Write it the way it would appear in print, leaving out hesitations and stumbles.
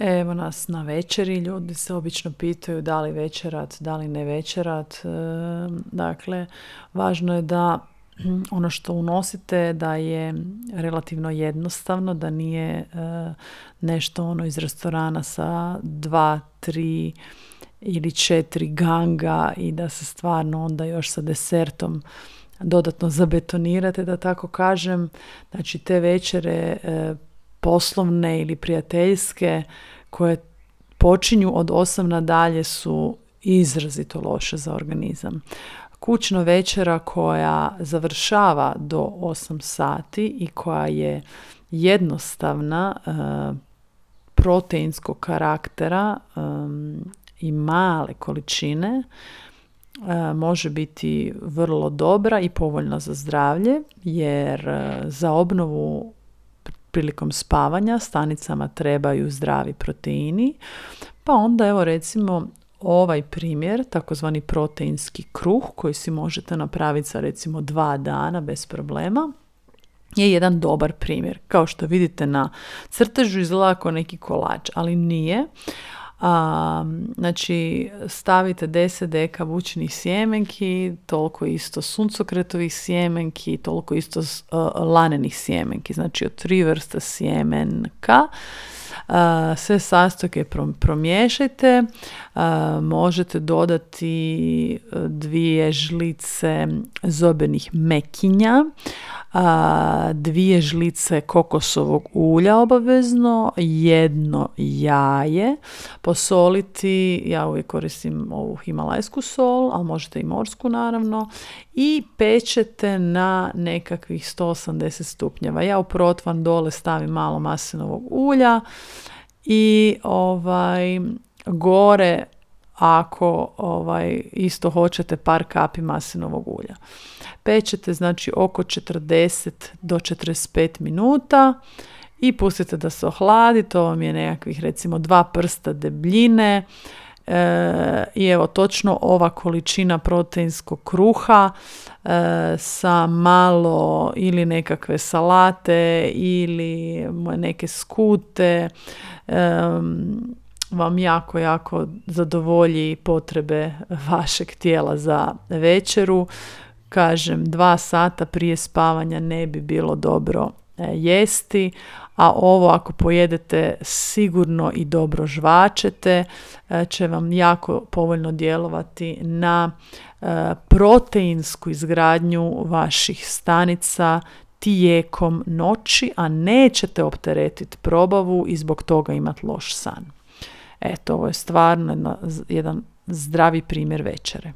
Evo nas na večeri, ljudi se obično pitaju da li večerat, da li ne večerat. Dakle, važno je da ono što unosite da je relativno jednostavno, da nije nešto ono iz restorana sa 2, 3 ili 4 ganga i da se stvarno onda još sa desertom dodatno zabetonirate, da tako kažem. Znači te večere poslovne ili prijateljske koje počinju od 8 nadalje su izrazito loše za organizam. Kućna večera koja završava do 8 sati i koja je jednostavna, proteinskog karaktera i male količine, može biti vrlo dobra i povoljna za zdravlje, jer za obnovu prilikom spavanja stanicama trebaju zdravi proteini, pa onda evo recimo ovaj primjer, takozvani proteinski kruh koji si možete napraviti za recimo 2 dana bez problema, je jedan dobar primjer. Kao što vidite na crtežu izgleda kao neki kolač, ali nije. Znači stavite 10 deka bućinih sjemenki, toliko isto suncokretovih sjemenki, toliko isto lanenih sjemenki, znači od 3 vrste sjemenka. Sve sastojke promiješajte, možete dodati 2 žlice zobenih mekinja, 2 žlice kokosovog ulja obavezno, 1 jaje, posoliti, ja uvijek koristim ovu himalajsku sol, ali možete i morsku naravno, i pečete na nekakvih 180 stupnjeva. Ja u protvan dole stavim malo maslinovog ulja i gore ako isto hoćete par kapi maslinovog ulja. Pečete znači oko 40 do 45 minuta i pustite da se ohladi. To vam je nekakvih recimo 2 prsta debljine. I evo točno ova količina proteinskog kruha sa malo ili nekakve salate ili neke skute vam jako zadovolji potrebe vašeg tijela za večeru. Kažem, 2 sata prije spavanja ne bi bilo dobro jesti, a ovo ako pojedete sigurno i dobro žvačete, će vam jako povoljno djelovati na proteinsku izgradnju vaših stanica tijekom noći, a nećete opteretiti probavu i zbog toga imati loš san. Eto, ovo je stvarno jedan zdravi primjer večere.